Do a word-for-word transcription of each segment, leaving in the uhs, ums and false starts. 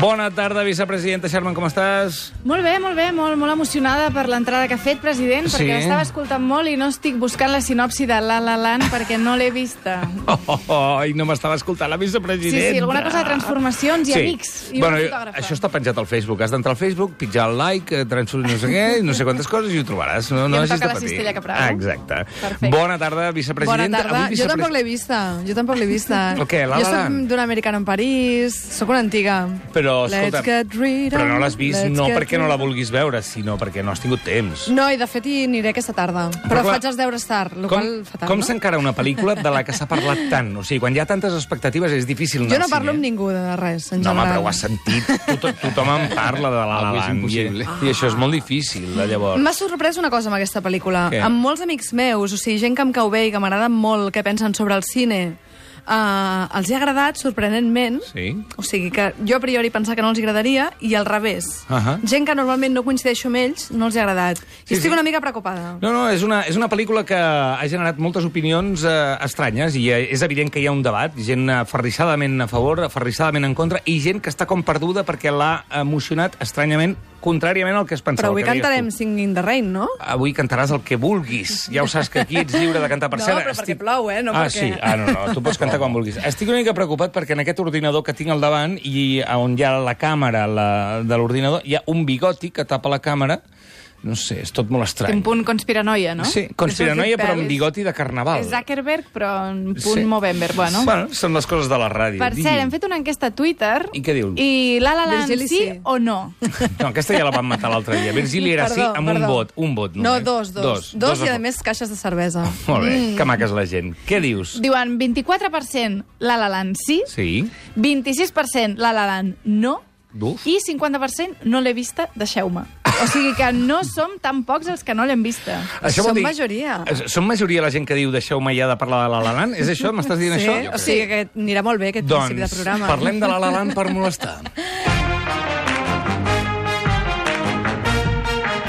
Bona tarda, vicepresidenta Sherman, com estàs? Molt bé, molt bé, molt, molt emocionada per l'entrada que ha fet, president, Sí? perquè l'estava escoltant molt i no estic buscant la sinopsi de La La Land perquè no l'he vista. Oh, oh, oh, i no m'estava escoltant la Sí, vicepresidenta. sí, alguna cosa de transformacions i Sí. amics. I Bueno, una jo- fotògrafa. això està penjat al Facebook. Has d'entrar al Facebook, pitjar el like, eh, transferir no sé què, no sé quantes coses i ho trobaràs. No, no I em hagis toca de la patir. cistella que prou. Ah, exacte. Perfecte. Bona tarda, Bona vicepresidenta. tarda. Avui Jo vicepres- tampoc l'he vista. Jo tampoc l'he vista. El què, La Jo La soc Land? d'un americano en París. Soc una antiga. Però, escolta, Let's get rid però no of- l'has vist let's no get perquè no la rid of- vulguis veure, sinó perquè no has tingut temps. No, i de fet hi aniré aquesta tarda. Però, Però clar, faig els deures tard, el Com, qual fatal, com no? s'encara una pel·lícula de la que s'ha parlat tant? O sigui, quan hi ha tantes expectatives és difícil anar Jo no al parlo cine. amb ningú de res, en No, home, general. però ho has sentit. Tot, tothom en parla de La La Avui és Land. I, impossible. I això és molt difícil, de llavors. M'ha sorprès una cosa amb aquesta pel·lícula. Què? Amb molts amics meus, o sigui, gent que em cau bé i que m'agrada molt què pensen sobre el cine, uh, els hi ha agradat, sorprenentment. Sí? O sigui que jo a priori pensava que no els agradaria i al revés. Ahà. Gent que normalment no coincideixo amb ells, no els hi ha agradat. Sí, I estic sí. una mica preocupada. No, no, és una, és una pel·lícula que ha generat moltes opinions eh, estranyes i eh, és evident que hi ha un debat, gent aferrissadament a favor, aferrissadament en contra, i gent que està com perduda perquè l'ha emocionat estranyament, contràriament al que es pensava. Però avui que deies cantarem tu. Sing in the Rain, no? Avui cantaràs el que vulguis. Ja ho saps que aquí ets lliure de cantar. Per No, cert, però perquè plou, eh? No ah, perquè- sí? Ah, no, no, tu pots cantar quan vulguis. Estic una mica preocupat perquè en aquest ordinador que tinc al davant i on hi ha la càmera la, de l'ordinador, hi ha un bigoti que tapa la càmera. No sé, és tot molt estrany. Té un punt conspiranoia, no? Sí, conspiranoia, però amb Pel·lis. bigoti de carnaval. És Zuckerberg, però en punt Sí. Movember, bueno. Bueno, són les coses de la ràdio. Per Digui. cert, hem fet una enquesta a Twitter. I què diu? I La La Land Virgili, sí, sí. o no? No, aquesta ja la van matar l'altre dia. Virgili era sí Perdó, amb un perdó. vot. Un vot, No, només. dos, dos. Dos, dos i, a a més, caixes de cervesa. Molt bé, que maca és la gent. Què dius? Diuen vint-i-quatre per cent La La Land sí, Sí? vint-i-sis per cent La La Land no, Uf. i cinquanta per cent no l'he vista, deixeu-me. O sigui que no som tan pocs els que no l'hem vista. Això vol Som dir- majoria. Eh, Som majoria la gent que diu deixeu-me ja de parlar de La La Land? És això? M'estàs dient Sí, això? o sigui que anirà molt bé aquest principi de Doncs programa. parlem de La La Land per molestar.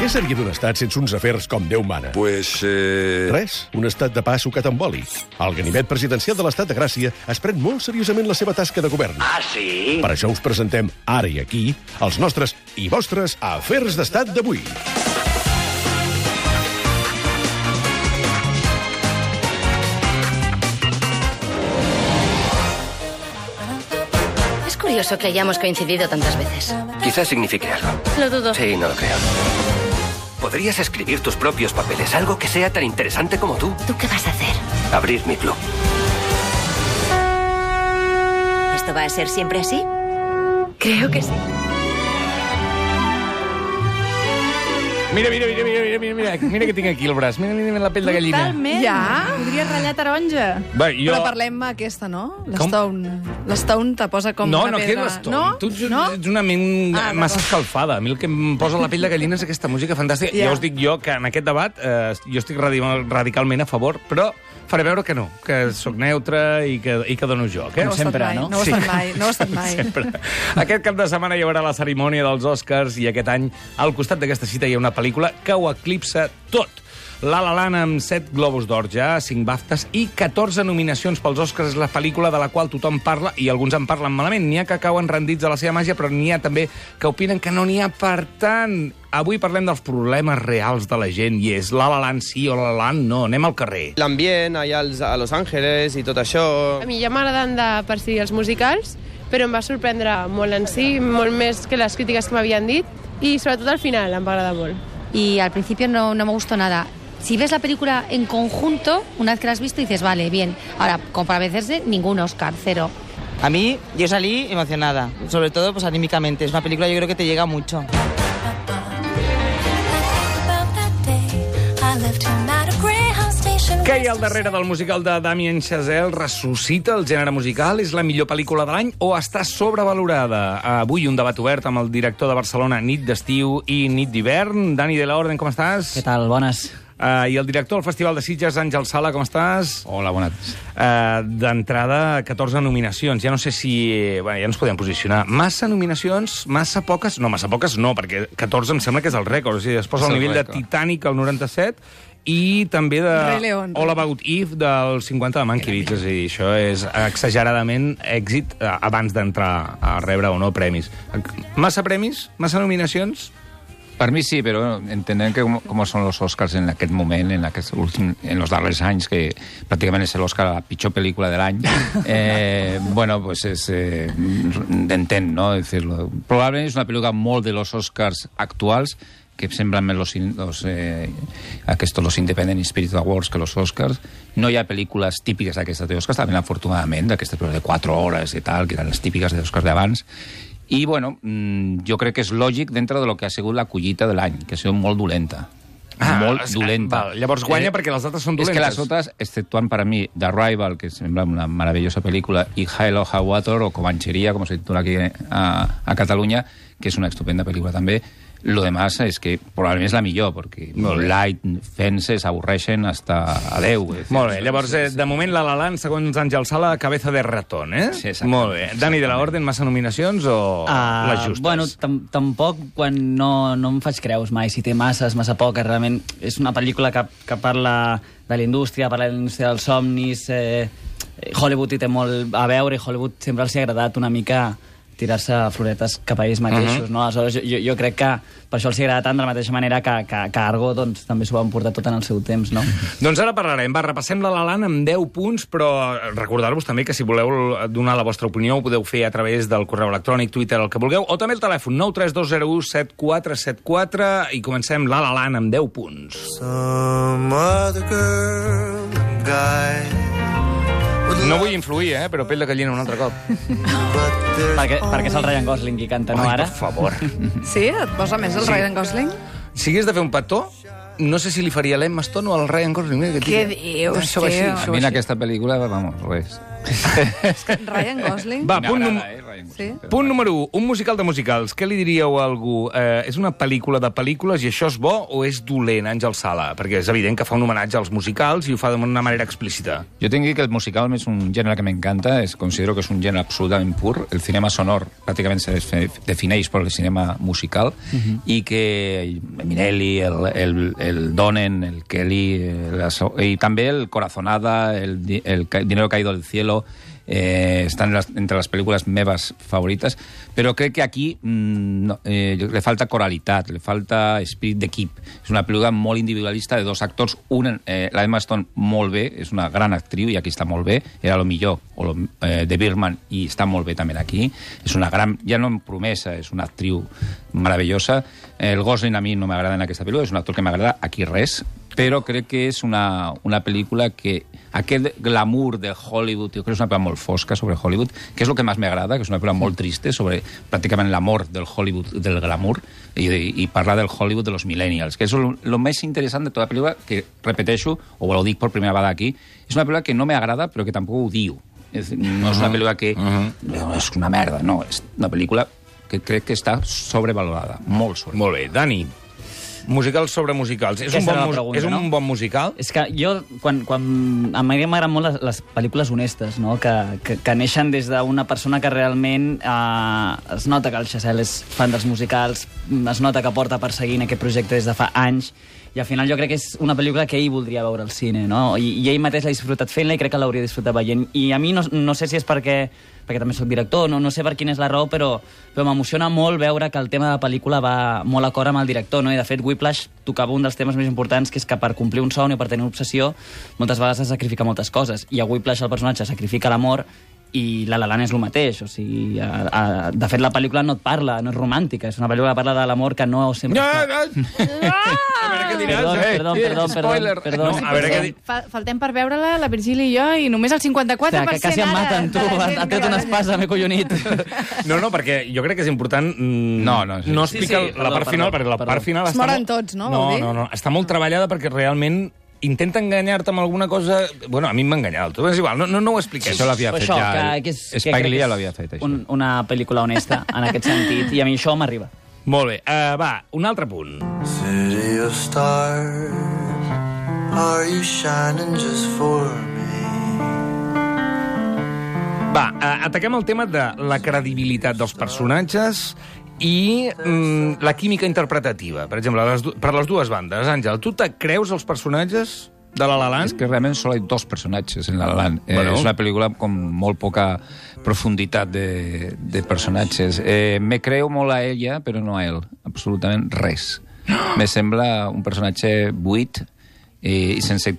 Què seria d'un estat sense uns afers com Déu mana? Pues, eh... Res, un estat de pa sucat amb oli. El ganivet presidencial de l'Estat de Gràcia es pren molt seriosament la seva tasca de govern. Ah, sí? Per això us presentem, ara i aquí, els nostres i vostres afers d'estat d'avui. Es curioso que hayamos coincidido tantas veces. Quizás signifique algo. Lo dudo. Sí, no lo creo. Podrías escribir tus propios papeles, algo que sea tan interesante como tú. ¿Tú qué vas a hacer? Abrir mi club. ¿Esto va a ser siempre así? Creo que sí. Mira, mira, mira, mira, mira, mira, mira, mira que tinc aquí el braç. Mira, mira, mira la pell de gallina. Totalment. Ja? Podria ratllar taronja. Va, jo... Però parlem aquesta, no? Com? L'Stone. L'Stone te posa com No, una no, que és pedra. l'Stone. No? Tu ets, no? ets una ment Ah, massa d'acord. escalfada. A mi el que em posa la pell de gallina és aquesta música fantàstica. Ja. Ja us dic jo que en aquest debat eh, jo estic radical, radicalment a favor, però faré veure que no, que sóc neutre i que, i que dono joc. Eh? No ho ha estat mai, no? No ho ha estat mai, no ho ha estat mai. Sempre. Aquest cap de setmana hi haurà la cerimònia dels Oscars i aquest any, al costat d'aquesta cita, hi ha una pel·lícula que ho eclipsa tot. La La Land amb set Globus d'Or ja, cinc BAFTAs i catorze nominacions pels Oscars és la pel·lícula de la qual tothom parla i alguns en parlen malament. N'hi ha que cauen rendits a la seva màgia, però n'hi ha també que opinen que no n'hi ha per tant. Avui parlem dels problemes reals de la gent i és La La Land sí o La La Land no. Anem al carrer. L'ambient allà als, a Los Angeles i tot això. A mi ja m'agraden de per si els musicals, però em va sorprendre molt en si, molt més que les crítiques que m'havien dit, i sobretot al final em va agradar molt. Y al principio no, no me gustó nada. Si ves la película en conjunto, una vez que la has visto, dices, vale, bien. Ahora, como para vencerse, ningún Oscar, cero. A mí, yo salí emocionada, sobre todo pues anímicamente. Es una película yo creo que te llega mucho. Què hi ha al darrere del musical de Damien Chazelle? Ressuscita el gènere musical? És la millor pel·lícula de l'any o està sobrevalorada? Avui un debat obert amb el director de Barcelona, Nit d'estiu i Nit d'hivern. Dani de la Orden, com estàs? ¿Qué tal? Buenas. Uh, I el director del Festival de Sitges, Àngel Sala, com estàs? Hola, bona tarda. Uh, D'entrada, catorze nominacions. Ja no sé si... Bueno, ja ens podem posicionar. Massa nominacions, massa poques... No, massa poques no, perquè catorze em sembla que és el rècord. O sigui, es posa És al el nivell rècord. de Titanic, al noranta-set, i també de Rei León. All About Eve del cinquanta de Mankiewicz. És a dir, això és exageradament èxit eh, abans d'entrar a rebre o no premis. Massa premis? Massa nominacions? Per mi sí, però entenem que com, com són els Oscars en aquest moment, en, aquest últim, en els darrers anys, que pràcticament és l'Oscar a la pitjor pel·lícula de l'any, eh, bueno, pues és... Eh, d'entén, no? Decirlo. Probablement és una pel·lícula molt de los Oscars actuals, que semblen més los, los, eh, aquestos, los Independent Spirit Awards que los Oscars. No hi ha pel·lícules típiques d'aquestes d'Oscars, també afortunadament, d'aquestes pel·lícules de quatre hores i tal, que eren les típiques d'Oscars d'abans. I, bueno, jo crec que és lògic dintre de lo que ha sigut la collita de l'any, que ha sigut molt dolenta. Ah, molt dolenta. Val, llavors guanya eh, perquè les altres són dolentes. És que les altres, exceptuant per a mi The Arrival, que sembla una meravellosa pel·lícula, i Hell or High Water, o Comancheria, com se titula aquí a, a Catalunya, que és una estupenda pel·lícula també, lo demás és que probablement és la millor, perquè Light, Fences, avorreixen hasta a Déu. Molt bé, llavors, eh, de moment, La La Land, segons Àngel Sala, cabeza de ratón, eh? Sí, exacte. Molt bé. Dani de la Orden, massa nominacions o uh, les justes? Bueno, tampoc quan no, no em faig creus mai, si té masses, massa poques, realment és una pel·lícula que, que parla de la indústria, parla de la indústria dels somnis, eh, Hollywood hi té molt a veure, i Hollywood sempre els ha agradat una mica tirar-se floretes cap a ells mateixos, uh -huh. no? Aleshores, jo, jo crec que per això els agrada tant de la mateixa manera que, que, que Argo doncs, també s'ho van portar tot en el seu temps, no? Doncs ara parlarem. Va, repassem La La Land amb deu punts, però recordar-vos també que si voleu donar la vostra opinió ho podeu fer a través del correu electrònic, Twitter, el que vulgueu, o també el telèfon nou tres dos zero u set quatre set quatre i comencem La La Land amb deu punts. Some other girl, guy. No vull influir, eh? Però pell de gallina un altre cop. perquè, perquè és el Ryan Gosling qui canta, no, Ai, ara? per favor. Sí? Et posa més el Sí. Ryan Gosling? Si hagués de fer un petó, no sé si li faria l'Emma Stone o el Ryan Gosling. Mira, que Què dius, Això va així, tio? això A va mi en així. aquesta pel·lícula, vamos, res. Ryan Gosling? Va, punt, num Sí? punt número un, un musical de musicals. Què li diríeu a algú? Eh, és una pel·lícula de pel·lícules i això és bo o és dolent, Àngel Sala? Perquè és evident que fa un homenatge als musicals i ho fa d'una manera explícita. Jo tinc que dir que el musical és un gènere que m'encanta, es considero que és un gènere absolutament pur. El cinema sonor pràcticament se defineix per el cinema musical uh -huh. i que Minelli, el, el, el Donen, el Kelly, el, i també el Corazonada, el, el Dinero Caído del Cielo, eh, estan les, entre les pel·lícules meves favorites, però crec que aquí mmm, no, eh, le falta coralitat, le falta espírit d'equip. És una pel·lícula molt individualista de dos actors, un, eh, la Emma Stone molt bé, és una gran actriu i aquí està molt bé, era lo millor o lo, eh, de Birdman i està molt bé també aquí. És una gran, ja no en promesa, és una actriu meravellosa. El Gosling a mi no m'agrada en aquesta pel·lícula, és un actor que m'agrada aquí res, però crec que és una, una pel·lícula que aquest glamour de Hollywood, jo crec que és una pel·lícula molt fosca sobre Hollywood, que és el que més m'agrada, que és una pel·lícula molt triste sobre pràcticament l'amor del Hollywood, del glamour, i, i parlar del Hollywood de los millennials, que és el més interessant de tota la pel·lícula, que repeteixo, o ho dic per primera vegada aquí, és una pel·lícula que no m'agrada, però que tampoc ho diu. És, no és una pel·lícula que uh-huh. és una merda, no, és una pel·lícula que crec que està sobrevalorada, molt sobrevalorada. Molt bé, Dani. Musicals sobre musicals. És, un bon, pregunta, és un no? bon musical? És que jo, quan, quan a mi m'agraden molt les, les pel·lícules honestes, no? que, que, que neixen des d'una persona que realment eh, es nota que el Chazelle és fan dels musicals, es nota que porta perseguint aquest projecte des de fa anys, i al final jo crec que és una pel·lícula que ell voldria veure al cine, no? I, i ell mateix l'ha disfrutat fent-la i crec que l'hauria disfrutat veient. I a mi no, no sé si és perquè perquè també soc director, no, no sé per quina és la raó, però, però m'emociona molt veure que el tema de la pel·lícula va molt acord amb el director, no? I de fet Whiplash tocava un dels temes més importants, que és que per complir un somni o per tenir una obsessió moltes vegades has de sacrificar moltes coses, i a Whiplash el personatge sacrifica l'amor i La La Land és el mateix, o sigui, a, a, de fet la pel·lícula no et parla, no és romàntica, és una pel·lícula que parla de l'amor que no sempre... No, no. A veure què diràs. Perdó, perdó, perdó, perdó, perdó. No, a veure què di... Faltem per veure-la, la Virgília i jo, i només el cinquanta-quatre per cent que quasi em maten, tu, has tret una espasa, m'he collonit. No, no, perquè jo crec que és important mm, no, no, sí. no explicar sí, sí, la perdó, part final, perdó, perquè la perdó. part final Es està moren molt... tots, no? No, Vol dir? no, no, està molt treballada perquè realment intenta enganyar-te amb alguna cosa... Bueno, a mi m'ha enganyat, tot és igual, no, no, no ho expliquem. Això l'havia fet això, ja, que, que és, Spike Lee que ja l'havia fet, això. Un, una pel·lícula honesta, en aquest sentit, i a mi això m'arriba. Molt bé, uh, va, un altre punt. City of stars, are you shining just for me? Va, uh, ataquem el tema de la credibilitat dels personatges I mm, la química interpretativa, per exemple, les, per les dues bandes. Àngel, tu te creus els personatges de La La Land? Es que realment solo hay dos personatges en La La Land. Bueno. Eh, és una pel·lícula amb molt poca profunditat de, de personatges. Eh, me creo molt a ella, però no a ell. Absolutament res. Me sembla un personatge buit i sense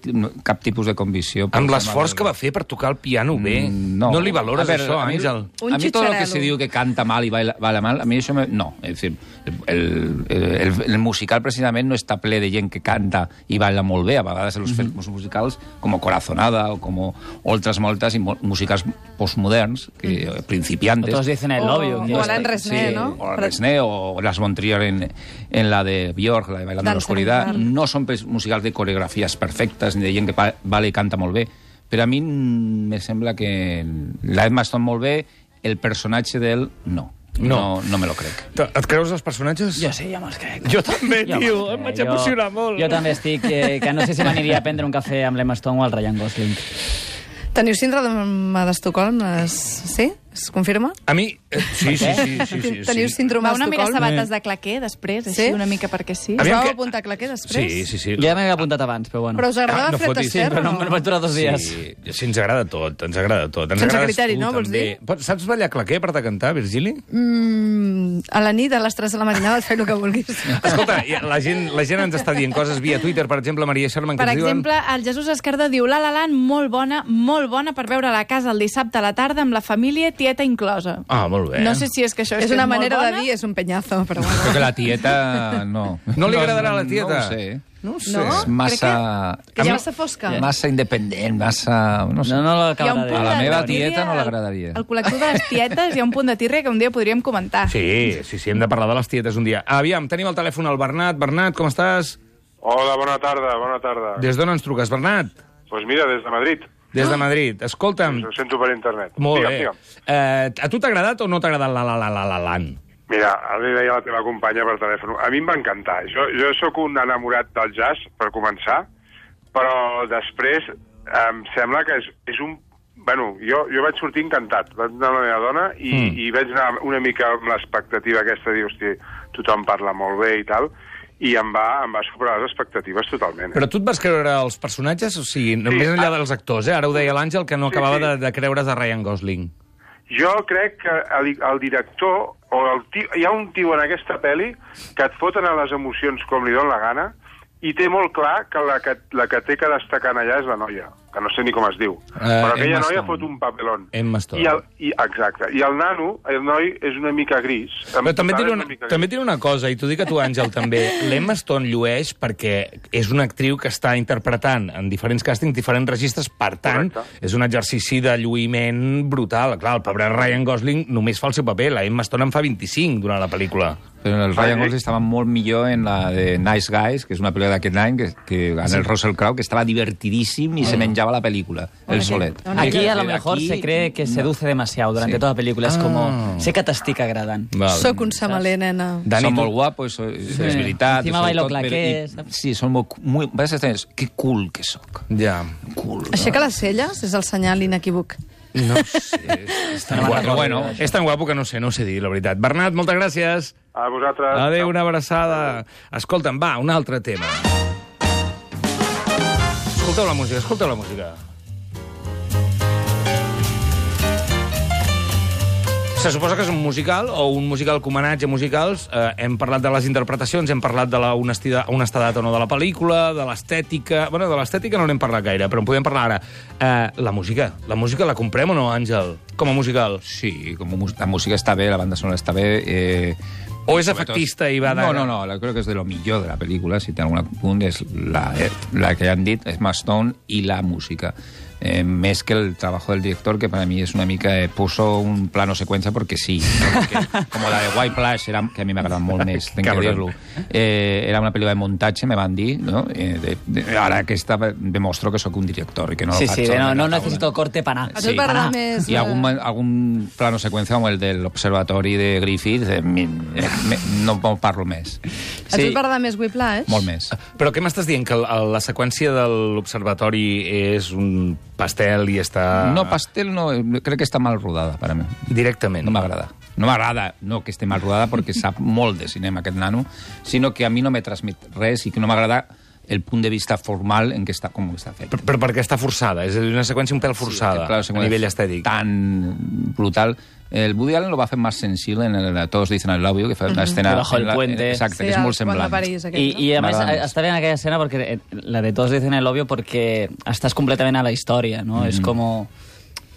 cap tipus de convicció. Amb l'esforç que va fer per tocar el piano bé. Mm, no. No li valores A ver, això, a mi- Àngel? A mi tot el que se diu que canta mal i baila, baila mal, a mi això me... no. És dir, el, el, el, el musical precisament no està ple de gent que canta i baila molt bé. A vegades els mm -hmm. musicals, com Corazonada o com altres moltes musicals postmoderns, que, mm. principiantes... Todos dicen el novio. O, o Alain Resné, sí, ¿no? O Alain Resné, o Las von Trier en, en la de Björk, la de Bailando en la Oscuridad. No són musicals de coreografies perfectes ni de gent que balla i canta molt bé, però a mi me sembla que la Emma Stone molt bé, el personatge d'ell no. No. no. No me lo crec. Et creus els personatges? Jo sí, jo me'ls crec. Jo també, Jo tio, me'ls em vaig crec. emocionar jo, molt. Jo també estic, que, que no sé si m'aniria a prendre un cafè amb l'Emma Stone o el Ryan Gosling. Teniu síndrome d'Estocolm? Es... Sí? Es confirma? A mi... Eh, sí, sí, sí, sí, sí, Teniu sí. síndrome Va una mica d'Estocolm? sabates de claquer, després, així, Sí? una mica perquè sí. Us Aviam vau que- apuntar a claquer després? Sí, sí, sí. Jo ja m'havia apuntat abans, però bueno. Però us agradava Ah, no Fred fotis. Astaire? Però no, o me'n vaig durar dos dies. Sí, sí, ens agrada tot, ens agrada tot. Ens Sense agrades criteri, tu, no, vols també. dir? Pots- Saps ballar claquer per de cantar, Virgili? Mm, a la nit, a les tres de la matinada, et feu el que vulguis. Escolta, i la gent, la gent ens està dient coses via Twitter, per exemple, Maria Sherman, que Per ens diuen... exemple, el Jesús Escardó diu La La Land, molt bona, molt bona per veure a la casa el dissabte a la tarda amb la família, tieta inclosa. Ah, molt bé. No sé si és que això és, És que una molt manera de bona. dir, és un peñazo, però bueno. Crec que la tieta no. No li agradarà a la No tieta? ho sé. No ho sé. No? És massa... Que a ja mi- massa fosca. Massa independent, massa... No sé. No, no Hi ha un l'acabarà punt de... A la de meva tírria, tieta no al- l'agradaria. Al col·lectiu de les tietes hi ha un punt de tírria que un dia podríem comentar. Sí, sí, sí, hem de parlar de les tietes un dia. Aviam, tenim al telèfon el Bernat. Bernat, com estàs? Hola, bona tarda, bona tarda. Des d'on ens truques, Bernat? Doncs pues mira, des de Madrid. Des de Madrid. Escolta'm... Ho sento per internet. Molt digue'm, bé. Digue'm. Eh, a tu t'ha agradat o no t'ha agradat la la la la la Land? Mira, ara li deia a la teva companya per telèfon. A mi em va encantar. Jo, jo sóc un enamorat del jazz, per començar, però després em sembla que és, és un... Bueno, jo, jo vaig sortir encantat. Vaig anar amb la meva dona i, mm. i vaig anar una mica amb l'expectativa aquesta de dir, hosti, tothom parla molt bé i tal, i em va, em va superar les expectatives totalment. Eh? Però tu et vas creure els personatges? O sigui, sí, més enllà dels actors, eh? Ara ho deia l'Àngel, que no Sí, acabava sí. de, de creure's a Ryan Gosling. Jo crec que el, el director, o el tio, hi ha un tio en aquesta pel·li que et foten a les emocions com li dona la gana i té molt clar que la que, la que té que destacar allà és la noia, que no sé ni com es diu. Uh, però aquella Emma noia Stone. fot un papelón. Emma Stone. I el, i, exacte. I el nano, el noi, és una mica gris. Però també et diré és una, mica també et diré una cosa, i t'ho dic a tu, Àngel, també. L'Emma Stone llueix perquè és una actriu que està interpretant en diferents càstings, diferents registres, per tant, Correcte. és un exercici de lluïment brutal. Clar, el pobre Ryan Gosling només fa el seu paper, la Emma Stone en fa vint-i-cinc durant la pel·lícula. Però el Ryan Gosling estava molt millor en la de Nice Guys, que és una pel·lícula d'aquest any, que, que en el Russell Crowe, que estava divertidíssim i se menjava la película, el solet. Aquí a lo Aquí- mejor se cree que seduce demasiado durante Sí. toda la película. Es Ah. como, sé que t'estic agradant. Soc un samaler, nena. Dani, són molt guapos, so- és veritat. Encima sobretot, bailo però- claqué, i- saps? Sí, són molt... Muy, vas a estar, que cool que sóc. Ja. Cool. Aixeca les celles és el senyal inequívoc. No sé, és tan guapo. Però bueno, és tan guapo que no sé, no sé dir, la veritat. Bernat, moltes gràcies. A vosaltres. Adéu, una abraçada. Escolta'm, va, un altre tema. Escolteu la música, escolteu la música. Se suposa que és un musical, o un musical com homenatge a musicals. Eh, hem parlat de les interpretacions, hem parlat de la honestida- honestedat o no de la pel·lícula, de l'estètica... Bueno, de l'estètica no n'hem parlat gaire, però en podem parlar ara. Eh, la música. La música la comprem o no, Àngel? Com a musical? Sí, com a mus- la música està bé, la banda sonora està bé... Eh, O és efectista i va de... No, no, no, la- creo que és de lo millor de la pel·lícula, si té algun punt, és la, eh, la que han dit, és Emma Stone i la música. Eh, més que el trabajo del director, que para mí es una mica... Eh, puso un plano secuencia porque sí. ¿no? Porque, como la de White Plush, era, que a mi m'agrada molt més, tenc que Cabrón. dir-lo. Eh, era una pel·lícula de muntatge, me van dir, no? Eh, de, de, ara aquesta demostro que sóc un director i que no Sí, lo faig sí, no, solament no a taula. necesito corte para nada. A tu t'agrada més... I eh, algun, algun plano seqüència com el de l'observatori de Griffith, eh, mi, me, no en parlo més. A tu t'agrada més Whiplash? Molt més. Però què m'estàs dient? Que el- la seqüència de l'observatori és un pastel i està... No, pastel no, crec que està mal rodada per a mi. Directament. No m'agrada. No m'agrada, no que esté mal rodada, perquè sap molt de cinema aquest nano, sinó que a mi no m'he transmit res i que no m'agrada el punt de vista formal en què està, com està fet. Però perquè està forçada, és una seqüència un pèl forçada, sí, a nivell estètic. Tan brutal. El Woody Allen lo va fer més sensible en el Todos dicen I love you, que fa una escena... Bajo el puente. Exacte, que és molt semblant. I, I a més, està bé en aquella escena, perquè la de Todos dicen I love you, perquè estàs completament a la història, no? És com...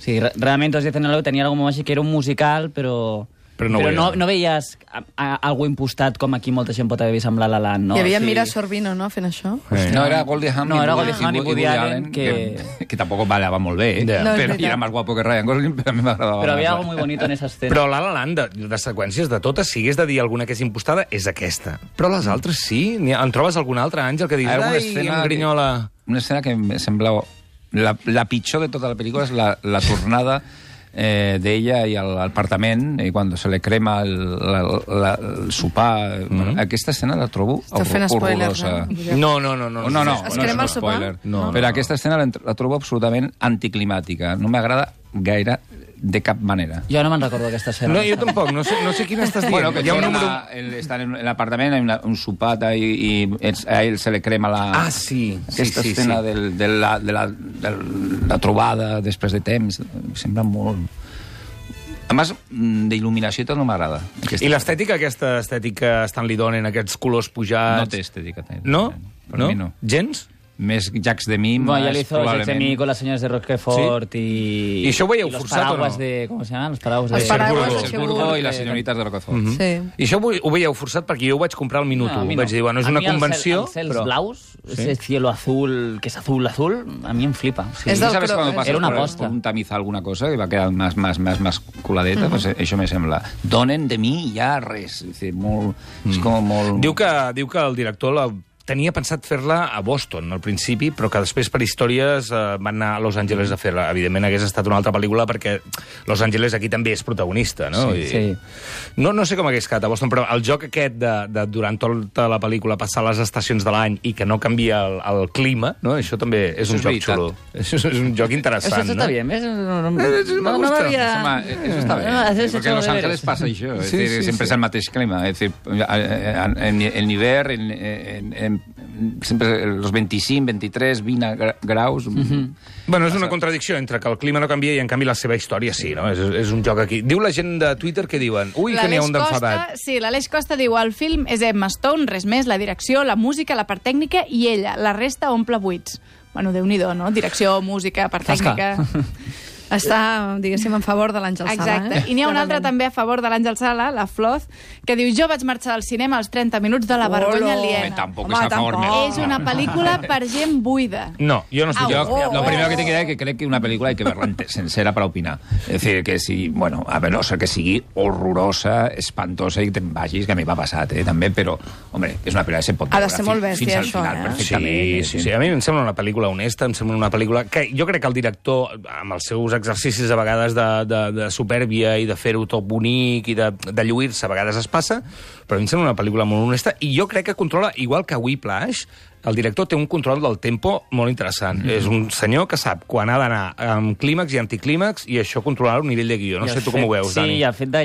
Sí, realment Todos dicen I love you tenia algo així que era un musical, però... Però no, però no, no veies a, a, algo impostat com aquí molta gent pot haver vist amb La La Land, no? Hi havia sí. Mira Sorvino, no?, fent això. Sí. No, era Goldie Hawn no, i, era Woody, Goldie Hawn i Woody Allen, que... que... que tampoc ballava molt bé, eh? No, però, i era més guapo que Ryan Gosling, però a mi m'agradava. Però havia algo muy bonito en esa escena. Però La La Land, de, de seqüències de totes, si hagués de dir alguna que és impostada, és aquesta. Però les altres sí. En trobes alguna altra, Àngel, que diguis, ai, em grinyola... Una escena que em sembla... La, la pitjor de tota la pel·lícula és la, la tornada eh, d'ella i al apartament, i quan se le crema el, la, la, el sopar. Mm-hmm. Aquesta escena la trobo horrorosa. No, no, no. No, no, no, es no crema és el un spoiler. sopar? No. Però aquesta escena la, la trobo absolutament anticlimàtica. No m'agrada gaire de cap manera. Jo no me'n recordo aquesta escena. No, jo tampoc, no sé, no sé quina estàs dient. Bueno, que hi ha un número... el, estan en l'apartament, hi ha un sopat i, i a ell se li crema la... Ah, sí. Aquesta sí, sí, escena sí. Del, de, la, de, la, de la trobada després de temps, em sembla molt... A més, d'il·luminació tot no m'agrada. I l'estètica, aquesta estètica Stanley Donen, aquests colors pujats... No té estètica. No? Per no? mi no. Gens? Més Jacques Demy, bueno, ya más lo hizo Jacques Demy con las señores de Roquefort ¿Sí? y... ¿Y això ho veieu y los forçat o no? paraguas de... ¿Cómo se llaman? Los paraguas Els de... paraguas de Cherburgo i les senyorites de Roquefort. Mm-hmm. Sí. I això ho, ho veieu forçat perquè jo ho vaig comprar al minut No, a u. mi no. Vaig dir, bueno, és una convenció... Els cels però... blaus, Sí. ese cielo azul, que es azul, azul, a mí em flipa. Sí. És del ¿Sabes cro- cuando pasas Era una por, aposta. por un tamiz alguna cosa que va quedar más, más, más, más coladeta? Uh-huh. Pues això me sembla. Donen de mi ja res. És, dir, molt, mm. és com molt... Diu que, diu que el director la tenia pensat fer-la a Boston al principi, però que després per històries eh, van anar a Los Angeles a fer-la. Evidentment hagués estat una altra pel·lícula perquè Los Angeles aquí també és protagonista, no? Sí, I... sí. No, no sé com hagués quedat a Boston, però el joc aquest de, de durant tota la pel·lícula passar les estacions de l'any i que no canvia el, el clima, no? Això també és Això un és joc veritat. xulo. Això és un joc interessant, Eso no? está bien, ¿ves? No, no, no, Eh, sí, me no, no gusta. m'havia... Home, eso está bien, No, has hecho porque en Los deberes. Ángeles pasa això, es Sí, decir, sí, siempre sí. es el mateix clima, es decir, en, en, en hivern, en, en, en, sempre los veinticinc, veintitrés, vint gra- graus... Mm-hmm. Bueno, és una contradicció entre que el clima no canvia i, en canvi, la seva història sí, no? És, és un joc aquí. Diu la gent de Twitter que diuen... Ui, que n'hi ha un d'enfadat. Sí, l'Aleix Costa diu el film és Emma Stone, res més, la direcció, la música, la part tècnica i ella. La resta omple buits. Bueno, Déu-n'hi-do, no? Direcció, música, part tècnica... Està, diguéssim, en favor de l'Àngel Sala. Exacte. Eh? I n'hi ha una altra Clarament. també a favor de l'Àngel Sala, la Floz, que diu jo vaig marxar al cinema als trenta minuts de la vergonya Olo. aliena. Home, tampoc Home, és a favor tampoc. meu. És una pel·lícula per gent buida. No, jo no estic... Au. Yo, lo primero que tengo que decir es que creo que una película hay que verla ente- sincera para opinar. Es decir, que si, bueno, a ver, no sé que sigui horrorosa, espantosa i te'n vagis, que a mi m'ha passat, eh, també, però, hombre, és una pel·lícula que se pot Ha de veure ser fi- molt bèstia, fins al això, final, eh? perfectament. Sí, sí, sí. A mi em sembla una pel·lícula honesta, em sembla una pel·lícula que jo crec que el director, amb els seus exercicis a vegades de, de, de supèrbia i de fer-ho tot bonic i de, de lluir-se, a vegades es passa, però a mi em sembla una pel·lícula molt honesta i jo crec que controla, igual que Whiplash, el director té un control del tempo molt interessant. Mm-hmm. És un senyor que sap quan ha d'anar amb clímax i anticlímax i això controlar un nivell de guió. No I sé el tu com ho fet- veus, sí, Dani. Sí, i el fet de...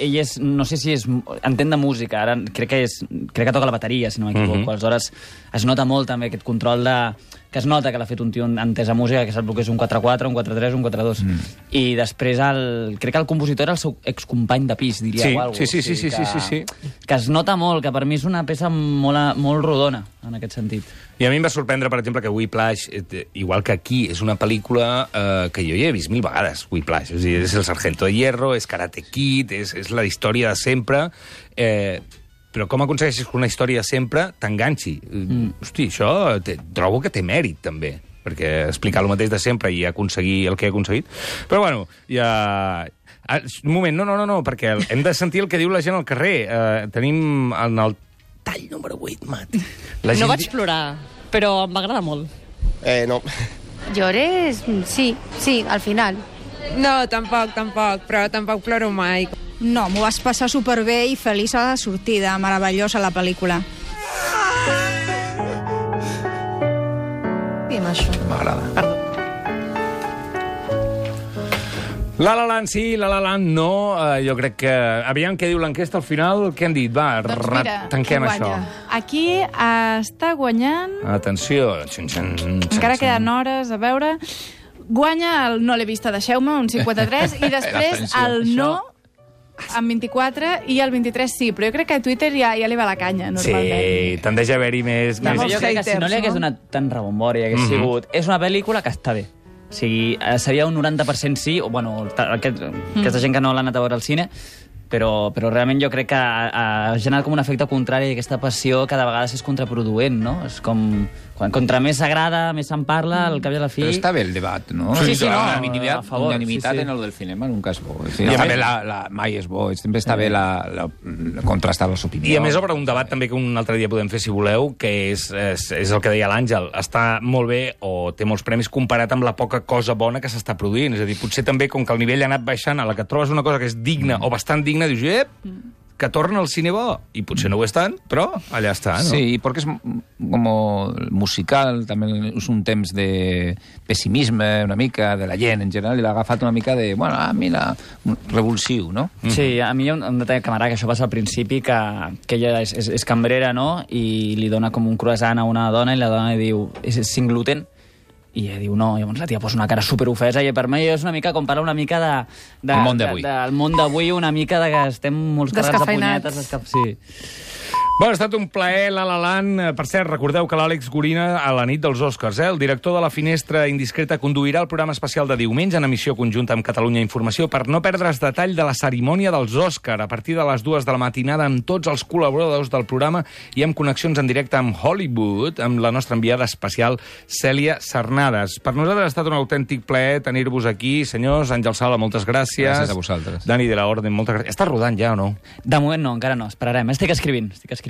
Ell és... No sé si és... Entén de música, ara crec que és... Crec que toca la bateria, si no m'equivoco. Mhm. Aleshores, es nota molt també aquest control de... Que es nota que l'ha fet un tio entès a música, que sap el que és un quatre quatre, un quatre tres, un quatre dos. Mm. I després, el... crec que el compositor era el seu excompany de pis, diria, Sí, o alguna sí, sí, sí, sí, que... sí, sí. Que es nota molt, que per mi és una peça molt, molt rodona, en aquest sentit. I a mi em va sorprendre, per exemple, que Whiplash, eh, igual que aquí, és una pel·lícula eh, que jo ja he vist mil vegades, Whiplash. És, a dir, és el Sargento de Hierro, és Karate Kid, és, és la història de sempre... Eh, però com aconsegueixes que una història sempre t'enganxi? Mm. Hosti, això te, trobo que té mèrit, també, perquè explicar el mateix de sempre i aconseguir el que he aconseguit. Però, bueno, ja... Ah, un moment, no, no, no, no, perquè hem de sentir el que diu la gent al carrer. Eh, tenim en el tall número vuit, Mati. La No gent vaig plorar, però em va agradar molt. Eh, no. Llores? Sí, sí, al final. No, tampoc, tampoc, però tampoc ploro mai. No, m'ho vas passar superbé i feliç a la sortida. Meravellosa la pel·lícula. I amb això. M'agrada. La La Land sí, La La Land no. Uh, jo crec que... Aviam què diu l'enquesta al final. Què han dit? Va, Doncs ra- mira, tanquem qui això. guanya? Aquí uh, està guanyant... Atenció. Xun, xun, xun, Encara xun. queden hores, a veure... Guanya el no l'he vista, deixeu-me, un cinquanta-tres, i després L'atenció. el no amb vint-i-quatre i el vint-i-tres sí, però jo crec que a Twitter ja, ja li va la canya, normalment. Sí, tendeix a haver-hi més... També més... jo crec que si no li hagués donat tant rebombori, hagués Mhm. sigut... És una pel·lícula que està bé. O sigui, eh, seria un noranta per cent sí, o bueno, ta- aquest, aquesta gent que no l'ha anat a veure al cine, però, però realment jo crec que ha, ha generat com un efecte contrari i aquesta passió cada vegada és contraproduent, no? És com... Quan, contra més s'agrada, més se'n parla, al cap i a la fi... Pero está bien el debate, ¿no? Sí, sí, no, Unanimidad, a favor, unanimitat sí, sí. en el del cinema nunca és bo. És I dir, a també més- la, la, mai és bo, sempre està bé la, la, la, contrastar les opinions. I a més obre un debat també que un altre dia podem fer, si voleu, que és, és, és el que deia l'Àngel. Està molt bé, o té molts premis, comparat amb la poca cosa bona que s'està produint. És a dir, potser també, com que el nivell ha anat baixant, a la que et trobes una cosa que és digna, mm. o bastant digna, dius, ep, que torna al cine bo. I potser no ho és tant, però allà està, no? Sí, porque es como musical, també és un temps de pessimisme, una mica, de la gent en general, i l'ha agafat una mica de, bueno, ah, mira, un revulsiu, no? Sí, a mi hi ha un, un detall que m'agrada, que això passa al principi, que, que ella és, és, és cambrera, no?, i li dona com un croissant a una dona, i la dona li diu, és sin gluten? I ella diu no, i llavors la tia posa una cara superofesa, i per mi és una mica com parla una mica de... de El món d'avui. de, del món d'avui, una mica de que estem molts carregats de Descafeinats. punyetes. Descaf... Sí. Bueno, ha estat un plaer, La La Land. Per cert, recordeu que l'Àlex Gorina, a la nit dels Oscars, eh, el director de La Finestra Indiscreta, conduirà el programa especial de diumenge en emissió conjunta amb Catalunya Informació per no perdre's detall de la cerimònia dels Oscars a partir de les dues de la matinada amb tots els col·laboradors del programa i amb connexions en directe amb Hollywood, amb la nostra enviada especial Cèlia Sarnades. Per nosaltres ha estat un autèntic plaer tenir-vos aquí. Senyors, Àngel Sala, moltes gràcies. Gràcies a vosaltres. Dani de la Orden, moltes gràcies. Estàs rodant ja o no? De moment no, encara no, esperarem. Estic escrivint, estic escrivint.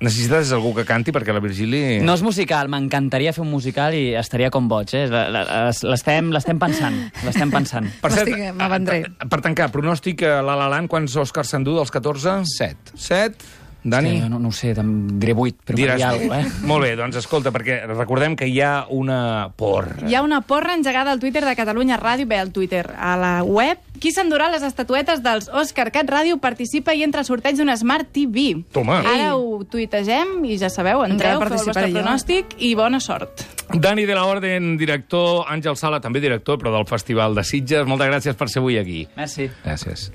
Necessites algú que canti perquè la Virgili... No és musical, m'encantaria fer un musical i estaria com boig, eh? La- la- L'estem l'estem pensant, l'estem pensant. Per cert, Estic- m'avendré. per, per tancar, pronòstic a La La Land, quants Oscars s'endú dels catorze? Set. Set? Dani? Sí, no, no ho sé, em diré vuit, però Diràs... per dir alguna cosa, eh? Molt bé, doncs escolta, perquè recordem que hi ha una porra. Hi ha una porra engegada al Twitter de Catalunya Ràdio, bé, al Twitter, a la web. Qui s'endurà les estatuetes dels Òscar Cat Ràdio participa i entra al sorteig d'un Smart T V. Toma. Ara ho tuitegem i ja sabeu, entreu, Encara feu el vostre participaré jo. pronòstic i bona sort. Dani de la Orden, director, Àngel Sala, també director, però del Festival de Sitges. Moltes gràcies per ser avui aquí. Merci. Gràcies.